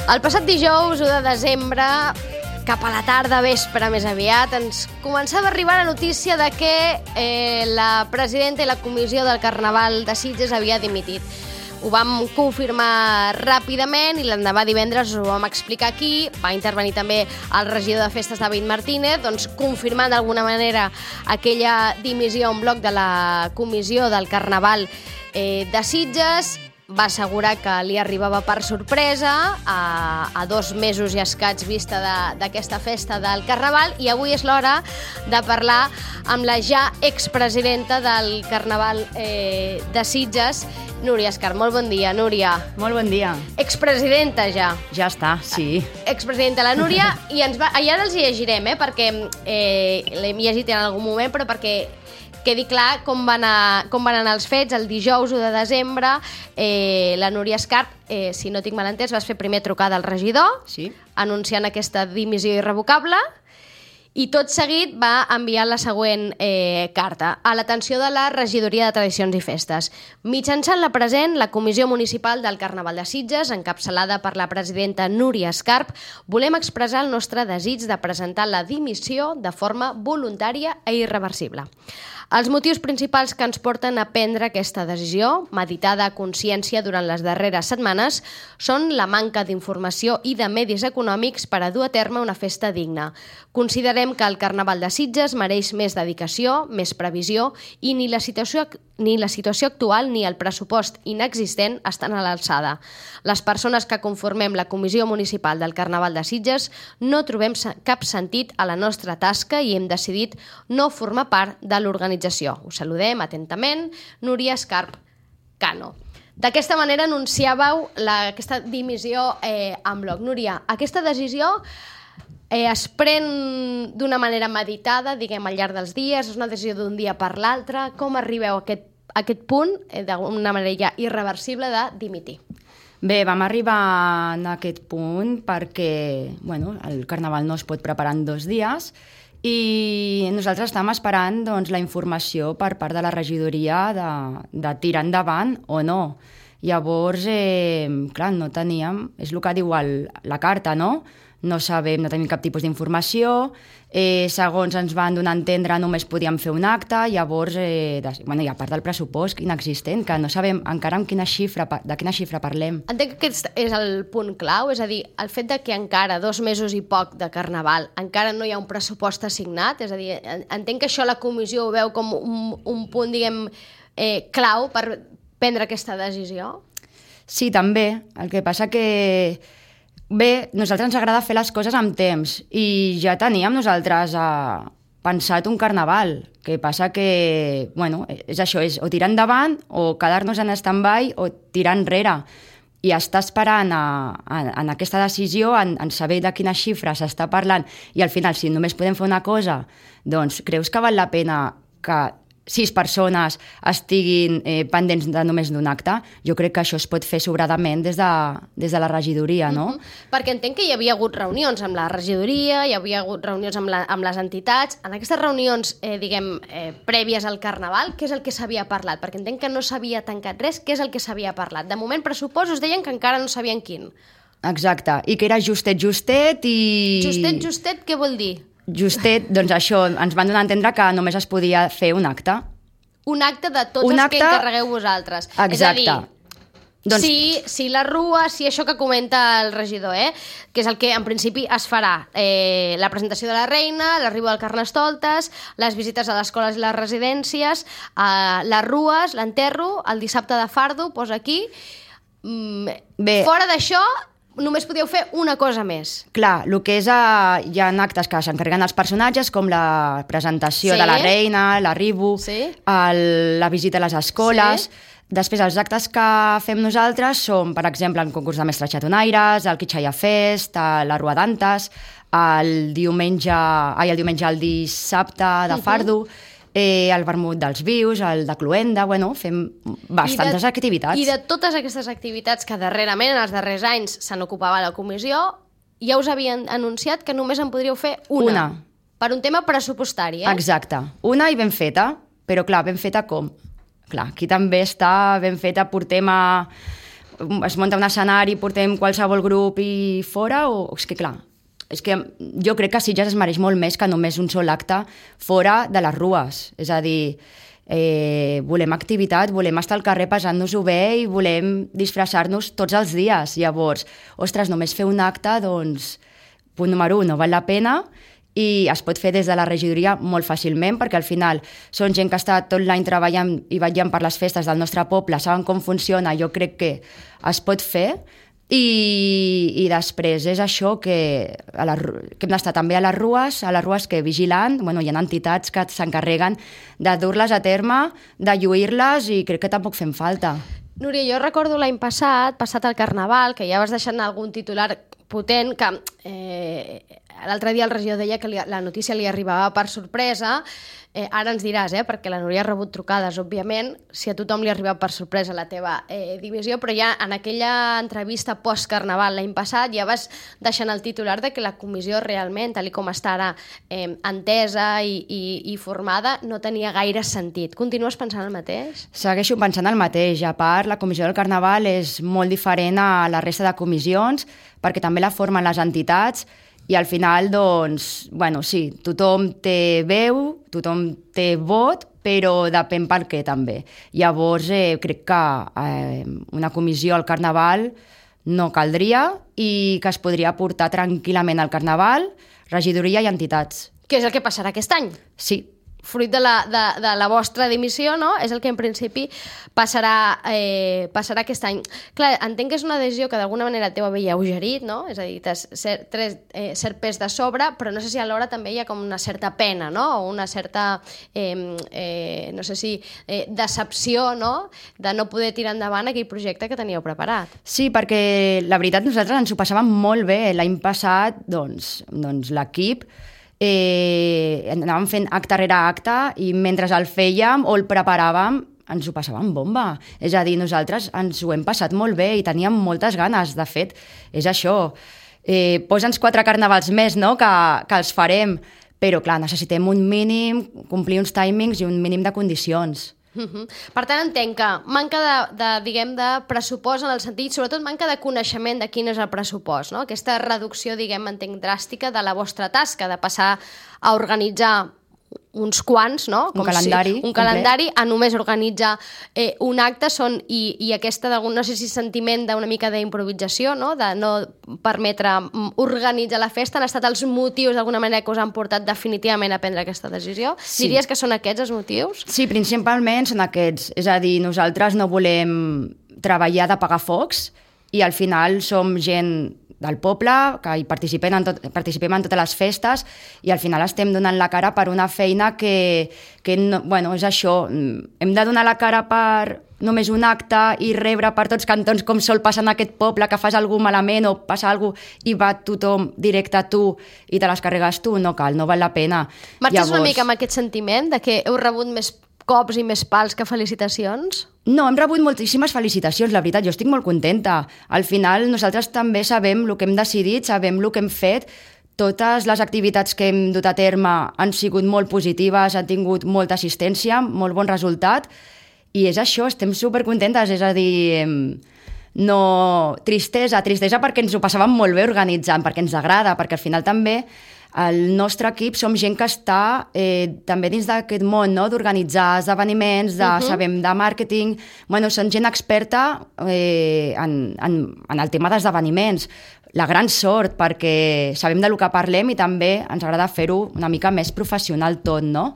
El passat dijous, 1 de desembre, cap a la tarda, vespre més aviat, ens començava a arribar la notícia de que la presidenta i la comissió del Carnaval de Sitges havia dimitit. Ho vam confirmar ràpidament i l'endemà divendres ho vam explicar aquí. Va intervenir també el regidor de festes, David Martínez, confirmant d'alguna manera aquella dimissió en bloc de la comissió del Carnaval de Sitges. Va assegurar que li arribava per sorpresa a 2 mesos i escaig vista d'aquesta festa del Carnaval, i avui és l'hora de parlar amb la ja expresidenta del Carnaval de Sitges, Núria Escarp. Molt bon dia, Núria. Molt bon dia. Expresidenta ja. Ja està, sí. Expresidenta la Núria, i ara els llegirem, perquè l'hem llegit en algun moment, però perquè quedi clar com van anar els fets. El dijous 1 de desembre, la Núria Escarp, si no tinc mal entès, vas fer primer trucada al regidor, Sí. anunciant aquesta dimissió irrevocable, i tot seguit va enviar la següent carta a l'atenció de la Regidoria de Tradicions i Festes. Mitjançant la present, la Comissió Municipal del Carnaval de Sitges, encapçalada per la presidenta Núria Escarp, volem expressar el nostre desig de presentar la dimissió de forma voluntària i irreversible. Els motius principals que ens porten a prendre aquesta decisió, meditada a consciència durant les darreres setmanes, són la manca d'informació i de medis econòmics per a dur a terme una festa digna. Considerem que el Carnaval de Sitges mereix més dedicació, més previsió, i ni la situació actual ni el pressupost inexistent estan a l'alçada. Les persones que conformem la Comissió Municipal del Carnaval de Sitges no trobem cap sentit a la nostra tasca i hem decidit no formar part de l'organització. Us saludem atentament, Núria Escarp Cano. D'aquesta manera anunciàveu aquesta dimissió en bloc. Núria, aquesta decisió es pren d'una manera meditada, diguem, al llarg dels dies, és una decisió d'un dia per l'altre. Com arribeu a aquest punt, d'una manera ja irreversible, de dimitir? Bé, vam arribar a aquest punt perquè el Carnaval no es pot preparar en 2 dies i nosaltres estàvem esperant la informació per part de la regidoria de tirar endavant o no. Llavors, clar, no teníem, és el que diu la carta, no? No sabem, no tenim cap tipus d'informació, segons ens van donar a entendre només podíem fer un acte, llavors, i a part del pressupost inexistent, que no sabem encara de quina xifra parlem. Entenc que aquest és el punt clau, és a dir, el fet de que encara 2 mesos i poc de Carnaval encara no hi ha un pressupost assignat, és a dir, entenc que això la comissió ho veu com un punt, diguem, clau per prendre aquesta decisió? Sí, també. El que passa que bé, nosaltres ens agrada fer les coses amb temps i ja teníem nosaltres pensat un carnaval. Que passa que, és això, és o tirar endavant o quedar-nos en stand-by o tirar enrere. I estar esperant en aquesta decisió, en saber de quina xifra s'està parlant i al final, si només podem fer una cosa, doncs creus que val la pena que 6 persones estiguin pendents de només d'un acte? Jo crec que això es pot fer sobradament des de la regidoria, no? Perquè entenc que hi havia hagut reunions amb la regidoria, hi havia hagut reunions amb les entitats. En aquestes reunions, prèvies al Carnaval, què és el que s'havia parlat? Perquè entenc que no s'havia tancat res. Què és el que s'havia parlat? De moment, pressupost, us deien que encara no sabien quin. Exacte, i que era justet i... Justet, què vol dir? Justet, doncs això, ens van donar a entendre que només es podia fer un acte. Un acte de tots els que encarregueu vosaltres. Exacte. És a dir, si la rua, si això que comenta el regidor, que és el que en principi es farà, la presentació de la reina, l'arribo del Carnestoltes, les visites a les escoles i les residències, les rues, l'enterro, el dissabte de Fardo, posa aquí. Bé, fora d'això, només podíeu fer una cosa més. Clar, el que és... hi ha actes que s'encarreguen els personatges, com la presentació de la reina, l'arribo, la visita a les escoles. Després, els actes que fem nosaltres són, per exemple, el concurs de mestres xatonaires, el Quitxalla Fest, la Rua d'Antes, el dissabte de Fardo, el vermut dels vius, el de Cluenda, fem bastantes activitats. I de totes aquestes activitats que darrerament, en els darrers anys, se n'ocupava la comissió, ja us havien anunciat que només en podríeu fer una. Per un tema pressupostari, Exacte. Una i ben feta, però clar, ben feta com? Clar, aquí també està ben feta, portem es munta un escenari, portem qualsevol grup i fora, o és que clar, és que jo crec que Sitges es mereix molt més que només un sol acte fora de les rues. És a dir, volem activitat, volem estar al carrer passant-nos-ho bé i volem disfressar-nos tots els dies. Llavors, ostres, només fer un acte, doncs, punt número 1, no val la pena, i es pot fer des de la regidoria molt fàcilment, perquè al final són gent que està tot l'any treballant i vetllant per les festes del nostre poble, saben com funciona, jo crec que es pot fer, i després és això que hem d'estar també a les rues que vigilant, bueno, hi ha entitats que s'encarreguen de dur-les a terme, de lluir-les, i crec que tampoc fem falta. Núria, jo recordo l'any passat el Carnaval, que ja vas deixant algun titular potent, que l'altre dia el regidor deia que la notícia li arribava per sorpresa. Ara ens diràs, perquè la Núria ha rebut trucades, òbviament, si a tothom li ha arribat per sorpresa la teva dimissió, però ja en aquella entrevista post-Carnaval l'any passat ja vas deixant el titular de que la comissió realment, tal com està ara entesa i formada, no tenia gaire sentit. Continues pensant el mateix? Segueixo pensant el mateix. A part, la comissió del Carnaval és molt diferent a la resta de comissions, perquè també la formen les entitats, i al final, doncs, bueno, sí, tothom té veu, tothom té vot, però depèn per què també. Llavors, crec que una comissió al Carnaval no caldria i que es podria portar tranquil·lament al Carnaval, regidoria i entitats. Què és el que passarà aquest any? Sí. Fruit de la vostra dimissió, no? És el que en principi passarà aquest any. Clar, entenc que és una decisió que d'alguna manera t'heu alleugerit, no? És a dir, t'has cert pes de sobre, però no sé si alhora també hi ha com una certa pena, no? O una certa, no sé si, decepció, no? De no poder tirar endavant aquell projecte que teníeu preparat. Sí, perquè la veritat nosaltres ens ho passàvem molt bé. L'any passat, doncs l'equip anàvem fent acte rere acte i mentre el fèiem o el preparàvem ens ho passàvem bomba. És a dir, nosaltres ens ho hem passat molt bé i teníem moltes ganes. De fet, és això. Posa'ns 4 carnavals més, no?, que els farem. Però, clar, necessitem un mínim, complir uns timings i un mínim de condicions. Per tant, entenc que manca de pressupost en el sentit, sobretot manca de coneixement de quin és el pressupost, no? Aquesta reducció, entenc, dràstica de la vostra tasca, de passar a organitzar uns quants, no? Un calendari a només organitzar un acte, i aquesta, no sé si sentiment d'una mica d'improvisació, no? De no permetre organitzar la festa, han estat els motius d'alguna manera que us han portat definitivament a prendre aquesta decisió? Sí. Diries que són aquests els motius? Sí, principalment són aquests. És a dir, nosaltres no volem treballar d'apagar focs i al final som gent del poble, que hi participem en totes les festes, i al final estem donant la cara per una feina que no, bueno, és això, hem de donar la cara per només un acte i rebre per tots cantons com sol passar en aquest poble, que fas alguna malament o passa alguna cosa i va tothom directe a tu i te les carregues tu, no cal, no val la pena. Marxes una mica amb aquest sentiment de que heu rebut més cops i més pals que felicitacions? No, hem rebut moltíssimes felicitacions, la veritat, jo estic molt contenta. Al final nosaltres també sabem el que hem decidit, sabem el que hem fet, totes les activitats que hem dut a terme han sigut molt positives, han tingut molta assistència, molt bon resultat, i és això, estem supercontentes, és a dir, no tristesa perquè ens ho passàvem molt bé organitzant, perquè ens agrada, perquè al final també el nostre equip som gent que està també dins d'aquest món, no?, d'organitzar esdeveniments, sabem de màrqueting, bueno, són gent experta en el tema d'esdeveniments. La gran sort, perquè sabem del que parlem i també ens agrada fer-ho una mica més professional tot, no?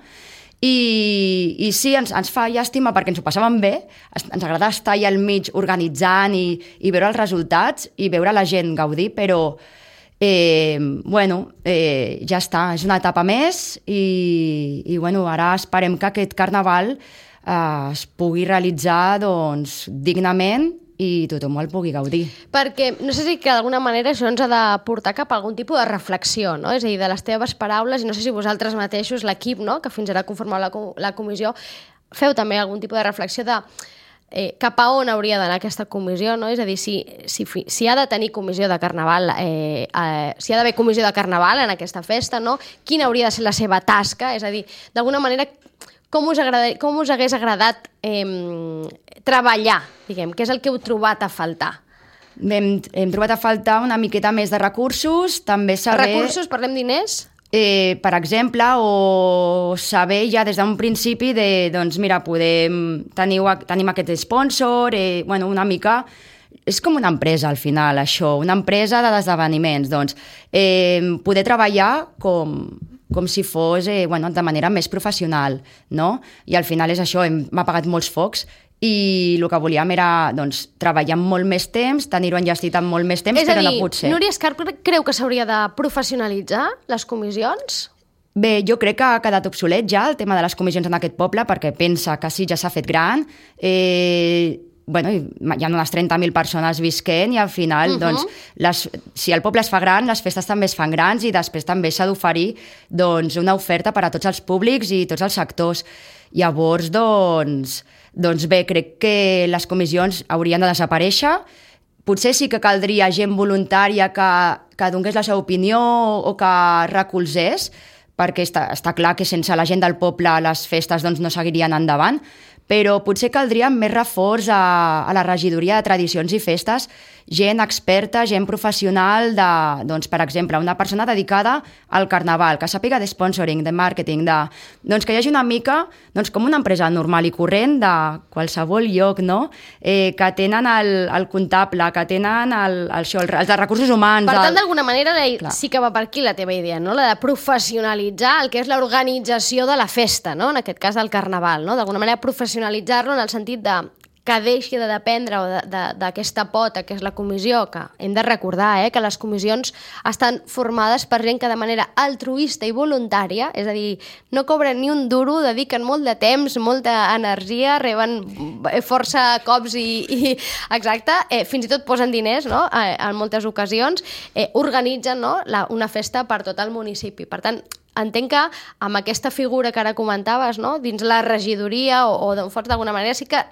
I sí, ens fa llàstima perquè ens ho passàvem bé, ens agrada estar allà al mig organitzant i veure els resultats i veure la gent gaudir, però ja està, és una etapa més i ara esperem que aquest carnaval es pugui realitzar dignament i tothom el pugui gaudir. Perquè no sé si que d'alguna manera això ens ha de portar cap a algun tipus de reflexió, no? És a dir, de les teves paraules, i no sé si vosaltres mateixos, l'equip, no?, que fins ara conformeu la comissió, feu també algun tipus de reflexió de cap a on hauria d'anar aquesta comissió, no? És a dir, si ha de tenir comissió de carnaval, si ha d'haver comissió de carnaval en aquesta festa, no? Quina hauria de ser la seva tasca? És a dir, d'alguna manera, com us hagués agradat treballar, diguem, què és el que heu trobat a faltar? Hem trobat a faltar una miqueta més de recursos, també saber... Recursos, parlem diners? Per exemple, o saber ja des d'un principi de, doncs mira, tenim aquest sponsor, una mica... És com una empresa, al final, això, una empresa d'esdeveniments. Doncs, poder treballar com si fos de manera més professional, no? I al final és això, m'ha pagat molts focs i el que volíem era doncs, treballar amb molt més temps, tenir-ho enllestit amb molt més temps, però no pot ser. Núria Escarp creu que s'hauria de professionalitzar les comissions? Bé, jo crec que ha quedat obsolet ja el tema de les comissions en aquest poble, perquè pensa que sí, ja s'ha fet gran, hi ha unes 30.000 persones visquent i al final, doncs, si el poble es fa gran, les festes també es fan grans i després també s'ha d'oferir doncs, una oferta per a tots els públics i tots els sectors. Llavors, doncs bé, crec que les comissions haurien de desaparèixer. Potser sí que caldria gent voluntària que donés la seva opinió o que recolzés, perquè està clar que sense la gent del poble les festes doncs, no seguirien endavant, però potser caldria més reforç a la regidoria de tradicions i festes, gent experta, gent professional, doncs, per exemple, una persona dedicada al carnaval, que sàpiga de sponsoring, de màrqueting, doncs que hi hagi una mica com una empresa normal i corrent de qualsevol lloc, no? Que tenen el comptable, que tenen els de recursos humans. Per tant, d'alguna manera, sí que va per aquí la teva idea, no? La de professionalitzar el que és l'organització de la festa, no? En aquest cas del carnaval, no? D'alguna manera professionalitzar-lo en el sentit que deixi de dependre d'aquesta pota que és la comissió, que hem de recordar que les comissions estan formades per gent que de manera altruista i voluntària, és a dir, no cobren ni un duro, dediquen molt de temps, molta energia, reben força cops i exacte, fins i tot posen diners, no? En moltes ocasions, organitzen, no? Una festa per tot el municipi. Per tant, entenc que amb aquesta figura que ara comentaves, no? Dins la regidoria o d'on fots d'alguna manera, sí que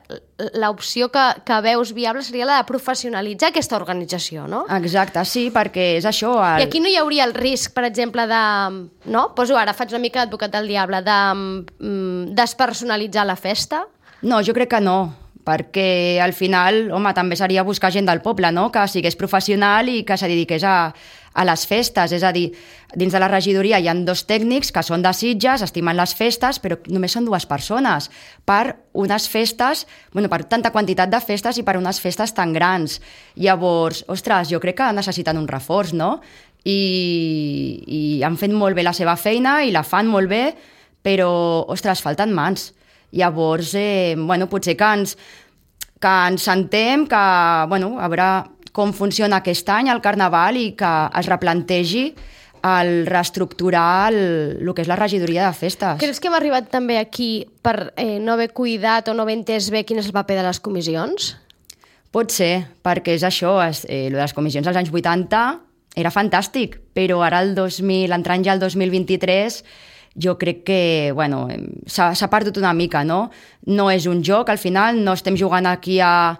l'opció que veus viable seria la de professionalitzar aquesta organització, no? Exacte, sí, perquè és això... I aquí no hi hauria el risc, per exemple, no? Ara faig una mica d'advocat del diable, de despersonalitzar la festa? No, jo crec que no, perquè al final, home, també seria buscar gent del poble, no? Que sigués professional i que se dediqués a les festes, és a dir, dins de la regidoria hi ha 2 tècnics que són de Sitges, estimen les festes, però només són 2 persones per unes festes, per tanta quantitat de festes i per unes festes tan grans. Llavors, ostres, jo crec que necessiten un reforç, no? I han fet molt bé la seva feina i la fan molt bé, però, ostres, falten mans. Llavors, potser que ens sentem, que, a veure com funciona aquest any el carnaval i que es replantegi el reestructurar el que és la regidoria de festes. Creus que hem arribat també aquí per no haver cuidat o no haver entès bé quin és el paper de les comissions? Pot ser, perquè és això, de les comissions als anys 80 era fantàstic, però ara entrant ja al 2023 jo crec que s'ha perdut una mica, no? No és un joc, al final no estem jugant aquí a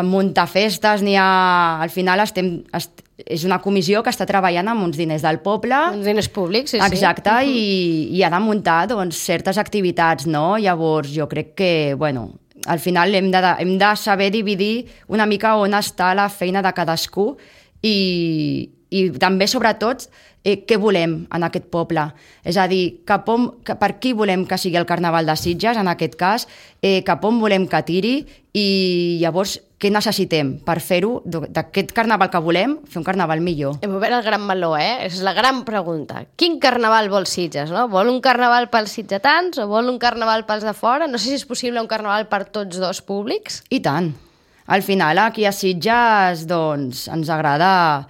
muntar festes, al final és una comissió que està treballant amb uns diners del poble. Uns diners públics, sí. Exacte, i ha de muntar certes activitats, no? Llavors jo crec que, al final hem de saber dividir una mica on està la feina de cadascú i també, sobretot, què volem en aquest poble. És a dir, per qui volem que sigui el Carnaval de Sitges, en aquest cas, cap on volem que tiri i llavors què necessitem per fer-ho, d'aquest carnaval que volem, fer un carnaval millor. Hem obert el gran meló, És la gran pregunta. Quin carnaval vol Sitges, no? Vol un carnaval pels sitgetans o vol un carnaval pels de fora? No sé si és possible un carnaval per tots 2 públics. I tant. Al final, aquí a Sitges, doncs, ens agrada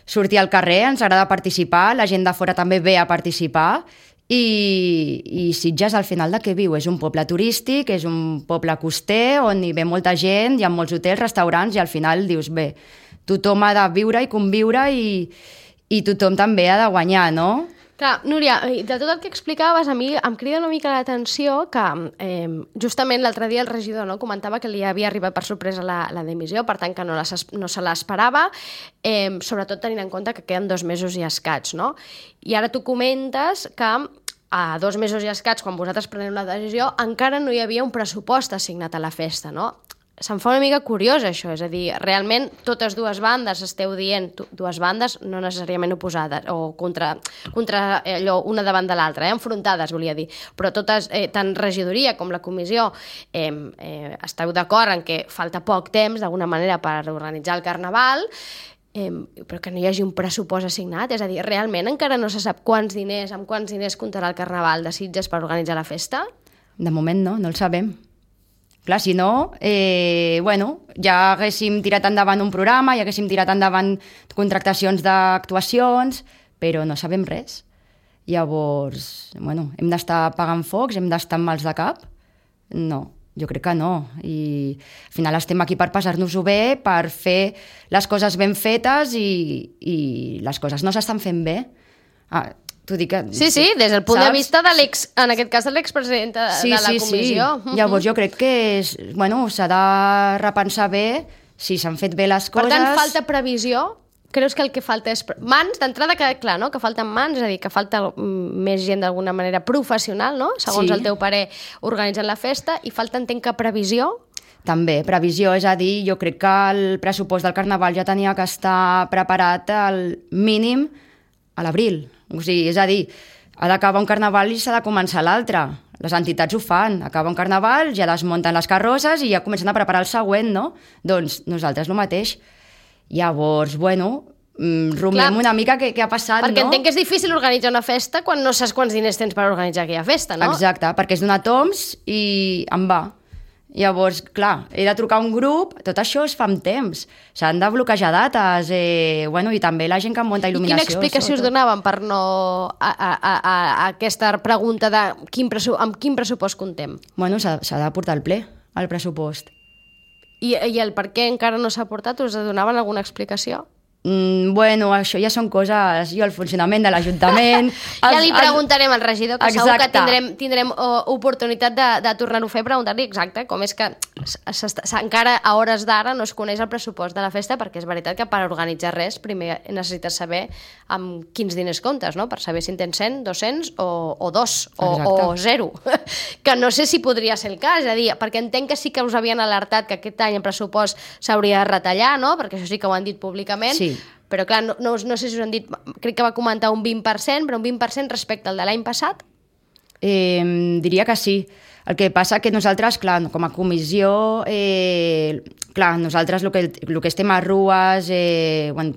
sortir al carrer, ens agrada participar, la gent de fora també ve a participar i Sitges al final de què viu? És un poble turístic, és un poble coster on hi ve molta gent, hi ha molts hotels, restaurants i al final dius, bé, tothom ha de viure i conviure i tothom també ha de guanyar, no? Clar, Núria, de tot el que explicaves, a mi em crida una mica l'atenció que justament l'altre dia el regidor comentava que li havia arribat per sorpresa la dimissió, per tant que no se l'esperava, sobretot tenint en compte que queden 2 mesos i escaig, no? I ara tu comentes que a 2 mesos i escaig, quan vosaltres preneu la decisió, encara no hi havia un pressupost assignat a la festa, no? Se'm fa una mica curiós, això, és a dir, realment totes dues bandes esteu dient, dues bandes no necessàriament oposades, o contra allò, una davant de l'altra, enfrontades, volia dir, però totes, tant regidoria com la comissió, esteu d'acord en que falta poc temps, d'alguna manera, per organitzar el Carnaval, però que no hi hagi un pressupost assignat, és a dir, realment encara no se sap amb quants diners comptarà el Carnaval de Sitges per organitzar la festa? De moment no el sabem. Clar, si no, ja haguéssim tirat endavant un programa, ja haguéssim tirat endavant contractacions d'actuacions, però no sabem res. Llavors, hem d'estar apagant focs, hem d'estar amb mals de cap? No, jo crec que no. I al final estem aquí per passar-nos-ho bé, per fer les coses ben fetes i les coses no s'estan fent bé. T'ho dic que... Sí, des del punt de vista de en aquest cas de l'expresident de la comissió. Sí. Llavors jo crec que s'ha de repensar bé si s'han fet bé les coses. Per tant, falta previsió? Creus que el que falta és mans? D'entrada queda clar, no?, que falten mans, és a dir, que falta més gent d'alguna manera professional, no?, segons el teu parer, organitzant la festa, i falta, entenc, que previsió? També, previsió, és a dir, jo crec que el pressupost del Carnaval ja tenia que estar preparat al mínim a l'abril. O sigui, és a dir, ha d'acabar un Carnaval i s'ha de començar l'altre. Les entitats ho fan. Acaba un Carnaval, ja desmunten les carrosses i ja comencen a preparar el següent, no? Doncs nosaltres el mateix. Llavors, rumiem una mica què ha passat, perquè no? Entenc que és difícil organitzar una festa quan no saps quants diners tens per organitzar aquella festa, no? Exacte, perquè és donar toms i em va. Llavors, clar, he de trucar a un grup, tot això es fa amb temps. S'han de bloquejar dates, i també la gent que munta il·luminació. I quina explicació us donaven per no a aquesta pregunta de amb quin pressupost comptem? S'ha de portar al ple, el pressupost. I el per què encara no s'ha portat, us donaven alguna explicació? Això ja són coses... Jo, el funcionament de l'Ajuntament... Ja li preguntarem al regidor, que segur que tindrem oportunitat de tornar-ho a fer, preguntar-li exacte com és que encara a hores d'ara no es coneix el pressupost de la festa, perquè és veritat que per organitzar res primer necessites saber amb quins diners comptes, no?, per saber si en tens 100, 200 o 2 o 0. Que no sé si podria ser el cas, és a dir, perquè entenc que sí que us havien alertat que aquest any el pressupost s'hauria de retallar, no?, perquè això sí que ho han dit públicament. Sí. Però clar, no sé si us han dit, crec que va comentar un 20%, però un 20% respecte al de l'any passat? Diria que sí. El que passa que nosaltres, clar, com a comissió, nosaltres el que estem a rues,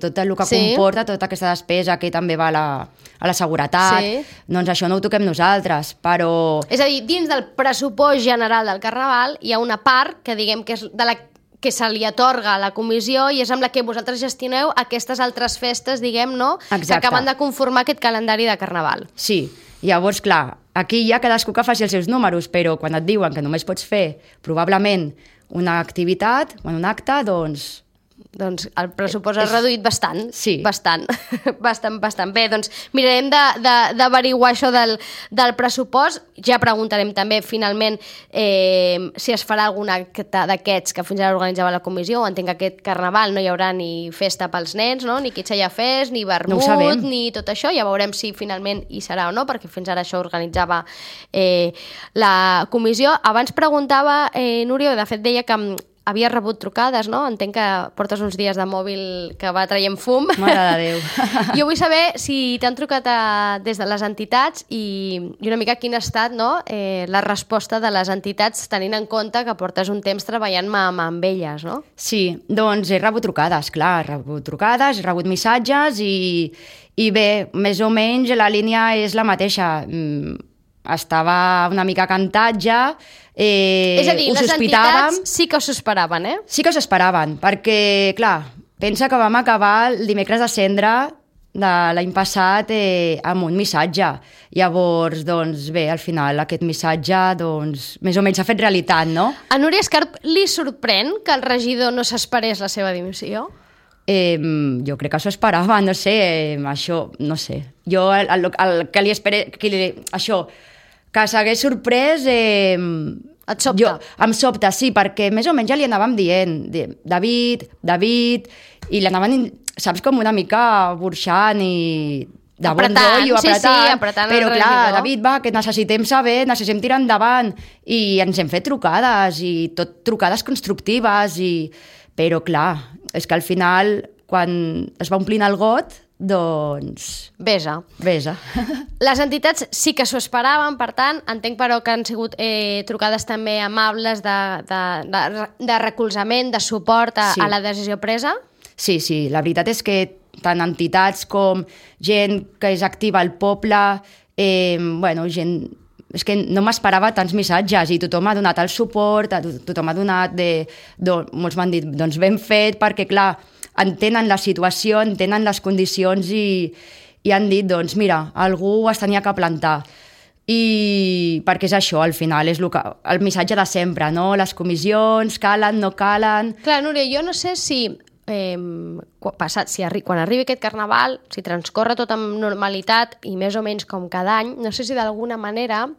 tot el que comporta, tota aquesta despesa que també va a la seguretat, doncs això no ho toquem nosaltres, però... És a dir, dins del pressupost general del Carnaval hi ha una part que diguem que és de la que se li atorga a la comissió i és amb la que vosaltres gestioneu aquestes altres festes, diguem, no?, que acaben de conformar aquest calendari de Carnaval. Sí, llavors, clar, aquí hi ha cadascú que faci els seus números, però quan et diuen que només pots fer, probablement, una activitat, un acte, doncs el pressupost ha reduït bastant. Sí. Bastant. Bé, doncs mirarem d'averiguar això del pressupost. Ja preguntarem també, finalment, si es farà algun acte d'aquests que fins ara organitzava la comissió. Entenc que aquest Carnaval no hi haurà ni festa pels nens, no?, ni Quitxalla Fest, ni vermut, ni tot això. Ja veurem si finalment hi serà o no, perquè fins ara això organitzava la comissió. Abans preguntava, Núria, de fet deia que havia rebut trucades, no? Entenc que portes uns dies de mòbil que va traient fum. Mare de Déu. Jo vull saber si t'han trucat des de les entitats i una mica quina ha estat, no?, la resposta de les entitats, tenint en compte que portes un temps treballant amb elles, no? Sí, doncs he rebut trucades, clar, he rebut missatges i bé, més o menys la línia és la mateixa. Estava una mica cantat ja, és a dir, les entitats sí que s'ho esperaven, eh? Sí que s'ho esperaven, perquè, clar, pensa que vam acabar el dimecres de Cendra de l'any passat amb un missatge. Llavors, doncs bé, al final aquest missatge, doncs, més o menys s'ha fet realitat, no? A Núria Escarp li sorprèn que el regidor no s'esperés la seva dimissió? Jo crec que s'ho esperava, no sé, això, no sé. Jo el que li esperé, això, que s'hagués sorprès... Et sobta? Em sobta, sí, perquè més o menys ja li anàvem dient David, i l'anaven, saps, com una mica burxant i de bon rotllo, apretant però el clar, regidor. David, va, que necessitem saber, necessitem tirar endavant, i ens hem fet trucades, i tot trucades constructives, però clar, és que al final, quan es va omplint el got, doncs... Besa. Les entitats sí que s'ho esperaven, per tant, entenc però que han sigut trucades també amables de recolzament, de suport a la decisió presa? Sí, la veritat és que tant entitats com gent que és activa al poble, gent... És que no m'esperava tants missatges i tothom ha donat el suport, tothom ha donat... Molts m'han dit, doncs ben fet, perquè clar, entenen la situació, entenen les condicions i han dit, doncs mira, algú es tenia que plantar. I perquè és això, al final, és el missatge de sempre, no? Les comissions calen, no calen... Clar, Núria, jo no sé si... quan arribi aquest carnaval, si transcorre tot amb normalitat i més o menys com cada any, no sé si d'alguna manera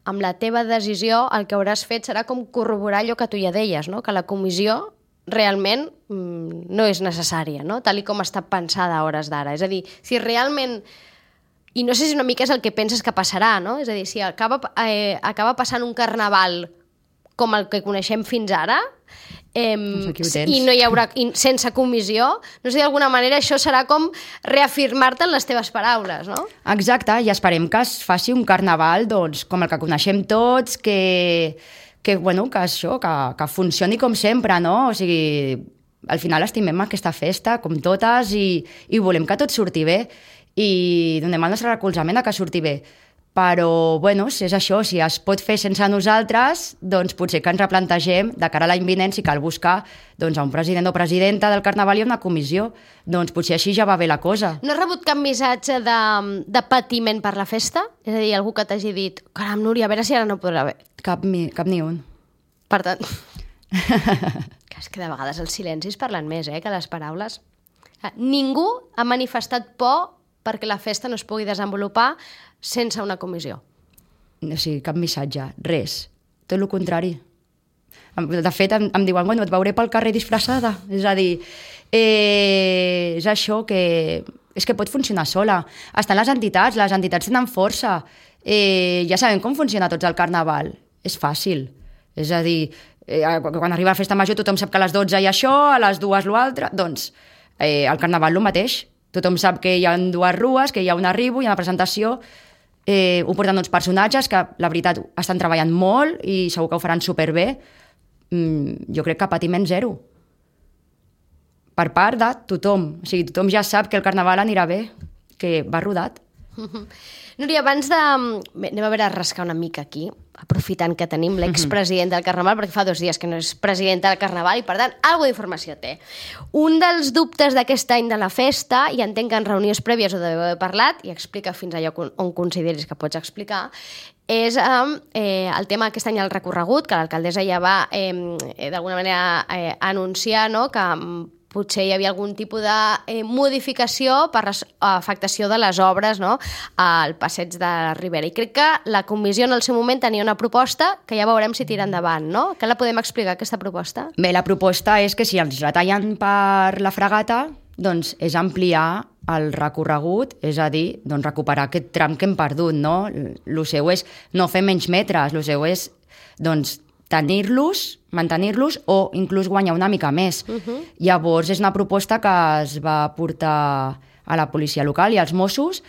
amb la teva decisió el que hauràs fet serà com corroborar allò que tu ja deies, no? Que la comissió realment no és necessària, no? Tal com està pensada a hores d'ara. És a dir, si realment... I no sé si una mica és el que penses que passarà, no? És a dir, si acaba passant un carnaval com el que coneixem fins ara, i no hi haurà sense comissió, no sé, d'alguna manera això serà com reafirmar-te en les teves paraules, no? Exacte, i esperem que es faci un carnaval doncs, com el que coneixem tots, que funcioni com sempre, no? O sigui, al final estimem aquesta festa, com totes, i volem que tot surti bé, i donem el nostre recolzament a que surti bé. Però, si és això, si es pot fer sense nosaltres, doncs potser que ens replantegem de cara a l'any vinent si cal buscar doncs, a un president o presidenta del Carnaval i una comissió. Doncs potser així ja va bé la cosa. No has rebut cap missatge de patiment per la festa? És a dir, algú que t'hagi dit, caram, Núria, a veure si ara no podrà haver. Cap ni un. Per tant... és que de vegades els silencis parlen més que les paraules. Ningú ha manifestat por perquè la festa no es pugui desenvolupar sense una comissió. O sigui, cap missatge, res. Tot el contrari. De fet, em diuen, et veuré pel carrer disfressada. És a dir, és això que... És que pot funcionar sola. Estan les entitats tenen força. Ja sabem com funciona tots el carnaval. És fàcil. És a dir, quan arriba la festa major tothom sap que a les 12 hi ha això, a les 2 l'altre. Doncs el carnaval el mateix. Tothom sap que hi ha 2 rues, que hi ha un arribo, hi ha una presentació, ho porten uns personatges que, la veritat, estan treballant molt i segur que ho faran superbé. Jo crec que patiment zero. Per part de tothom. O sigui, tothom ja sap que el carnaval anirà bé, que va rodat. Núria, abans de... Anem a veure, a rascar una mica aquí, aprofitant que tenim l'expresident del Carnaval, perquè fa 2 dies que no és president del Carnaval i, per tant, alguna d'informació té. Un dels dubtes d'aquest any de la festa, i entenc que en reunions prèvies ho deveu haver parlat, i explica fins allò on consideris que pots explicar, és el tema aquest any del recorregut, que l'alcaldessa ja va, d'alguna manera, anunciar, no?, que potser hi havia algun tipus de modificació per afectació de les obres, no?, al passeig de la Ribera. I crec que la comissió en el seu moment tenia una proposta que ja veurem si tira endavant, no? Què la podem explicar, aquesta proposta? Bé, la proposta és que si ens retallen per la fregata, doncs és ampliar el recorregut, és a dir, doncs recuperar aquest tram que hem perdut, no? El seu és no fer menys metres, el seu és, doncs, mantenir-los o inclús guanyar una mica més. Llavors és una proposta que es va portar a la policia local i als Mossos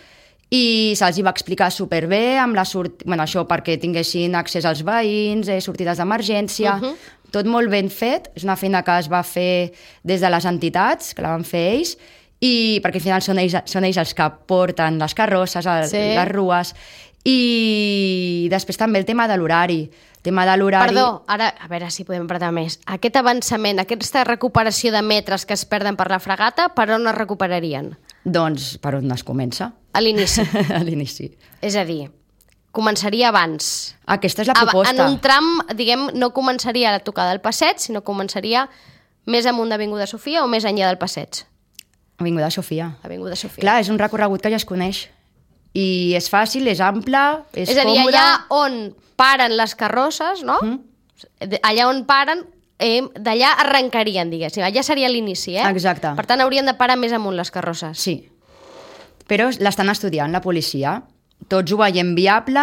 i se'ls va explicar superbé amb això perquè tinguessin accés als veïns, sortides d'emergència, tot molt ben fet. És una feina que es va fer des de les entitats, que la van fer ells, i perquè al final són ells els que porten les carrosses, les rues. I després també el tema de l'horari. Perdó, ara, a veure si podem apretar més. Aquest avançament, aquesta recuperació de metres que es perden per la fregata, per on es recuperarien? Doncs per on es comença. A l'inici. A l'inici. És a dir, començaria abans. Aquesta és la proposta. En un tram, diguem, no començaria a la tocada del passeig, sinó començaria més amunt d'Avinguda Sofia o més enllà del passeig? Avinguda Sofia. Avinguda Sofia. Clar, és un recorregut que ja es coneix. I és fàcil, és ample, és còmode. És a dir, allà on paren les carrosses, no? Allà on paren, d'allà arrencarien, diguéssim. Allà seria l'inici, Exacte. Per tant, haurien de parar més amunt les carrosses. Sí. però l'estan estudiant, la policia. Tots ho veiem viable,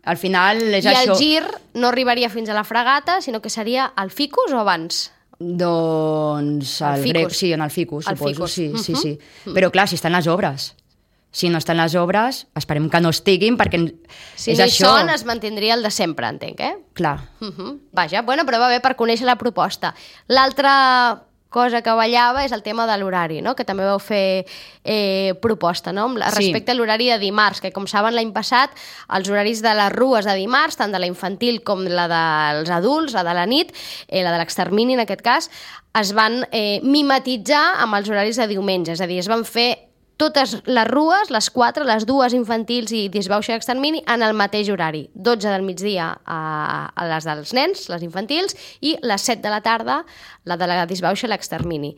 al final és I això... el gir no arribaria fins a la Fragata, sinó que seria al Ficus o abans? Doncs El grec, Ficus. sí, en el Ficus, El suposo, Ficus. sí. Però clar, si estan les obres. Si no estan les obres, esperem que no estiguin, perquè Si és no hi això. són, es mantindria el de sempre, entenc, Clar. Vaja, bueno, però va bé per conèixer la proposta. L'altra cosa que ballava és el tema de l'horari, no? Que també vau fer proposta, no? Respecte a l'horari de dimarts, que com saben l'any passat els horaris de les rues de dimarts, tant de la infantil com la dels adults, la de la nit, la de l'extermini en aquest cas, es van mimetitzar amb els horaris de diumenge, és a dir, es van fer totes les rues, les 4, les 2 infantils i disbauxa i extermini, en el mateix horari. 12 del migdia a les dels nens, les infantils, i les 7 de la tarda, la de la disbauxa i l'extermini.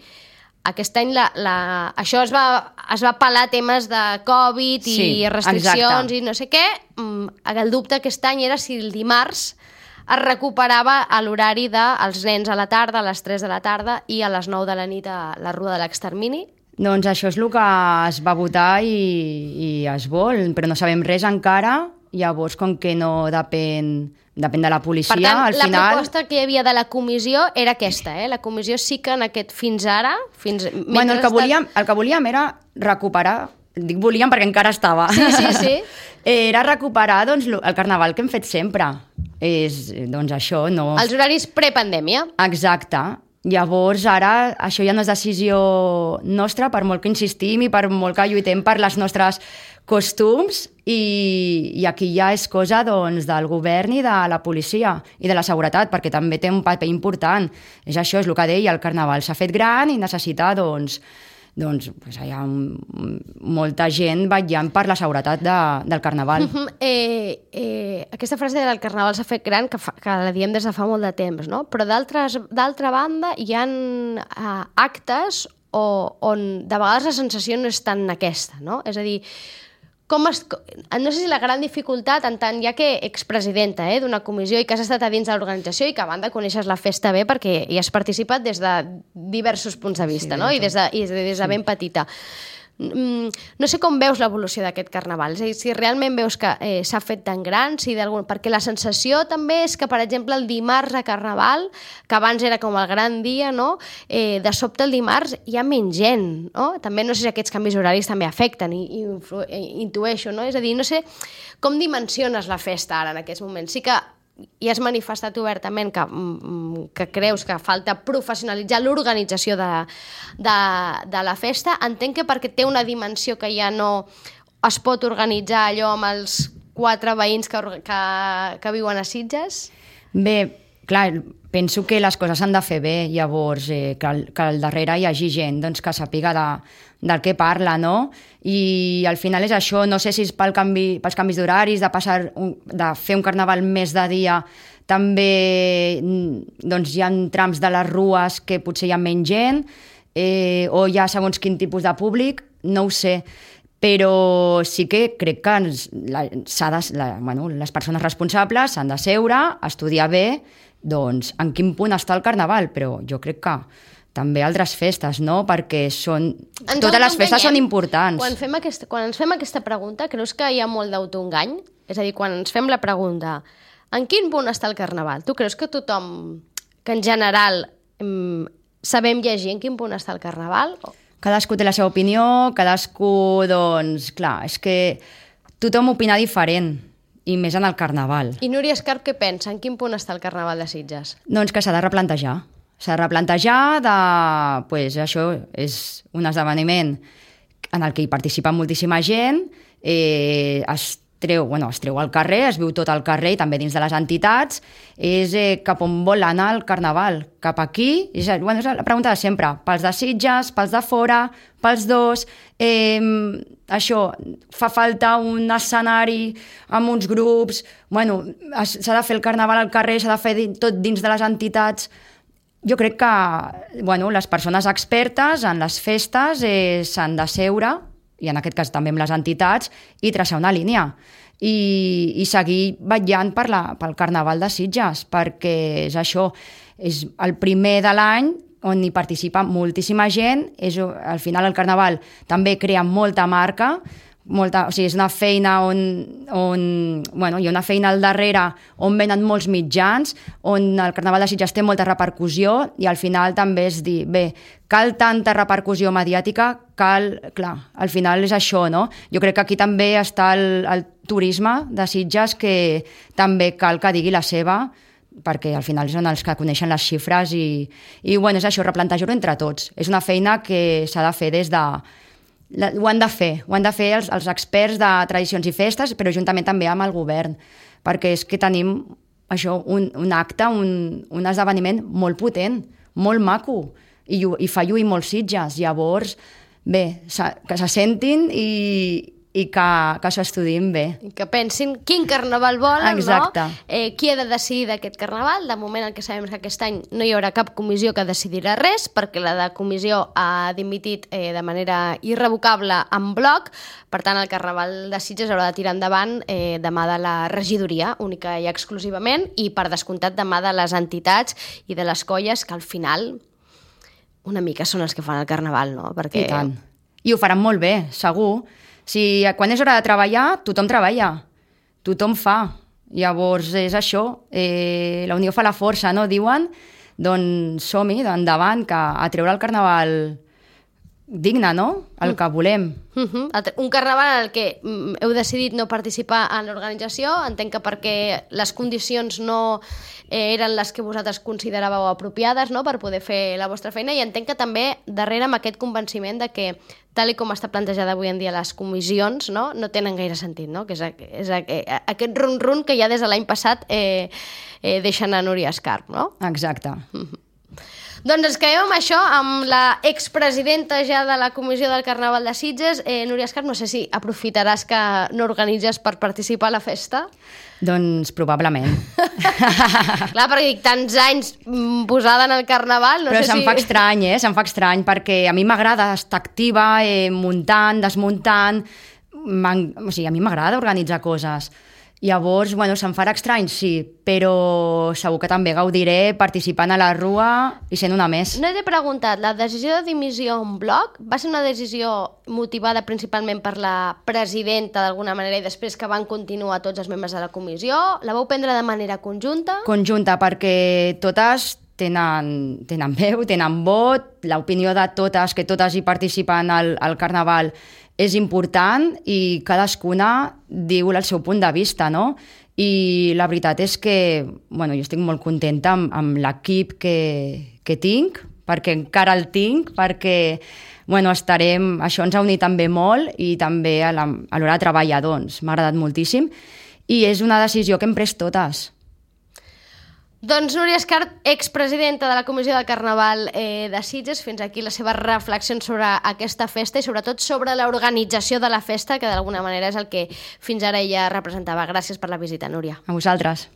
Aquest any això es va pelar temes de Covid i Sí, restriccions exacte. i no sé què. El dubte aquest any era si el dimarts es recuperava a l'horari dels nens a la tarda, a les 3 de la tarda, i a les 9 de la nit a la rua de l'extermini. Doncs això és el que es va votar i es vol, però no sabem res encara, llavors com que no depèn de la policia, Per tant, al la final... proposta que hi havia de la comissió era aquesta, La comissió sí que en aquest fins ara... Bueno, el que volíem era recuperar, dic volíem perquè encara estava, Sí. era recuperar doncs, el carnaval que hem fet sempre. És, doncs això, no... Els horaris prepandèmia. Exacte. Llavors, ara, això ja no és decisió nostra, per molt que insistim i per molt que lluitem per les nostres costums, i aquí ja és cosa doncs, del govern i de la policia i de la seguretat, perquè també té un paper important. És això, és el que deia, el carnaval s'ha fet gran i necessita, doncs hi ha molta gent vetllant per la seguretat del carnaval. Aquesta frase del carnaval s'ha fet gran, que la diem des de fa molt de temps, no? Però d'altra banda hi ha actes on de vegades la sensació no és tan aquesta, no? És a dir, no sé si la gran dificultat, en tant ja que expresidenta d'una comissió i que has estat a dins de l'organització i que a banda coneixes la festa bé perquè hi has participat des de diversos punts de vista, no? I des de ben petita. No sé com veus l'evolució d'aquest carnaval, és a dir, si realment veus que s'ha fet tan gran, perquè la sensació també és que, per exemple, el dimarts a carnaval, que abans era com el gran dia, no? De sobte el dimarts hi ha menys gent, no? També no sé si aquests canvis horaris també afecten, i intueixo, no? És a dir, no sé com dimensiones la festa ara en aquests moments. Sí que i has manifestat obertament que creus que falta professionalitzar l'organització de la festa. Entenc que perquè té una dimensió que ja no es pot organitzar allò amb els 4 veïns que viuen a Sitges. Bé, clar, penso que les coses s'han de fer bé, llavors que al darrere hi hagi gent doncs, que sàpiga del que parla, no? I al final és això, no sé si és pels canvis d'horaris, de fer un carnaval més de dia, també doncs, hi ha trams de les rues que potser hi ha menys gent, o hi ha segons quin tipus de públic, no ho sé, però sí que crec que les persones responsables s'han de seure, estudiar bé, doncs, en quin punt està el carnaval, però jo crec que també altres festes, no? Perquè totes les festes són importants. Quan ens fem aquesta pregunta, creus que hi ha molt d'autoengany? És a dir, quan ens fem la pregunta, en quin punt està el carnaval? Tu creus que tothom, que en general sabem llegir en quin punt està el carnaval? Cadascú té la seva opinió, cadascú, doncs, clar, és que tothom opina diferent, i més en el carnaval. I Núria Escarp què pensa? En quin punt està el carnaval de Sitges? Doncs que s'ha de replantejar. S'ha de replantejar això és un esdeveniment en el que hi participa moltíssima gent, es treu al carrer, es viu tot al carrer i també dins de les entitats, és cap on vol anar el carnaval, cap aquí, és la pregunta de sempre, pels de Sitges, pels de fora, pels dos, això, fa falta un escenari amb uns grups, s'ha de fer el carnaval al carrer, s'ha de fer tot dins de les entitats. Jo crec que les persones expertes en les festes s'han de seure, i en aquest cas també amb les entitats, i traçar una línia. I seguir vetllant pel Carnaval de Sitges, perquè és això, és el primer de l'any on hi participa moltíssima gent, al final el Carnaval també crea molta marca, o sigui, és una feina bueno, hi ha una feina al darrere on venen molts mitjans, on el Carnaval de Sitges té molta repercussió i al final també és dir, bé, cal tanta repercussió mediàtica, clar, al final és això, no? Jo crec que aquí també està el turisme de Sitges que també cal que digui la seva, perquè al final són els que coneixen les xifres i bueno, és això, replantejar-ho entre tots. És una feina que s'ha de fer des de... Ho han de fer els experts de tradicions i festes, però juntament també amb el govern, perquè és que tenim això, un acte, un esdeveniment molt potent, molt maco, i fa lluir molts Sitges. Llavors, bé, que se sentin i que s'ho estudiïn bé. I que pensin quin carnaval volen, exacte, no? Qui ha de decidir d'aquest carnaval? De moment el que sabem és que aquest any no hi haurà cap comissió que decidirà res, perquè la de comissió ha dimitit de manera irrevocable en bloc. Per tant, el carnaval de Sitges haurà de tirar endavant de mà de la regidoria, única i exclusivament, i per descomptat de mà de les entitats i de les colles que al final una mica són els que fan el carnaval, no? Perquè... I tant. I ho faran molt bé, segur. Si quan és hora de treballar, tothom treballa, tothom fa. Llavors és això, la unió fa la força, no? Diuen, doncs som-hi, endavant, que a treure el carnaval digne, no? El que volem. Un carnaval en el que heu decidit no participar en l'organització, entenc que perquè les condicions no eren les que vosaltres consideràveu apropiades, no?, per poder fer la vostra feina, i entenc que també darrere amb aquest convenciment de que tal com està plantejada avui en dia les comissions, no tenen gaire sentit, no? Que és aquest run-run que ja des de l'any passat deixen a Núria Escarp, no? Exacte. Doncs ens quedem amb això, amb la expresidenta ja de la Comissió del Carnaval de Sitges. Núria Escarp, no sé si aprofitaràs que no organitzes per participar a la festa? Doncs probablement. Clar, perquè tants anys posada en el Carnaval... Però se'm fa estrany, se'm fa estrany, perquè a mi m'agrada estar activa, muntant, desmuntant... O sigui, a mi m'agrada organitzar coses. Llavors, bueno, se'm farà estrany, sí, però segur que també gaudiré participant a la rua i sent una més. No t'he preguntat, la decisió de dimissió en bloc va ser una decisió motivada principalment per la presidenta d'alguna manera i després que van continuar tots els membres de la comissió? La vau prendre de manera conjunta? Conjunta, perquè totes tenen veu, tenen vot, l'opinió de totes, que totes hi participen al Carnaval, és important i cadascuna diu el seu punt de vista, no? I la veritat és que, bueno, jo estic molt contenta amb l'equip que tinc, perquè encara el tinc, perquè, bueno, això ens ha unit també molt i també a l'hora de treballar, doncs, m'ha agradat moltíssim i és una decisió que hem pres totes. Doncs Núria Escarp, expresidenta de la Comissió del Carnaval de Sitges, fins aquí les seves reflexions sobre aquesta festa i sobretot sobre l'organització de la festa, que d'alguna manera és el que fins ara ella representava. Gràcies per la visita, Núria. A vosaltres.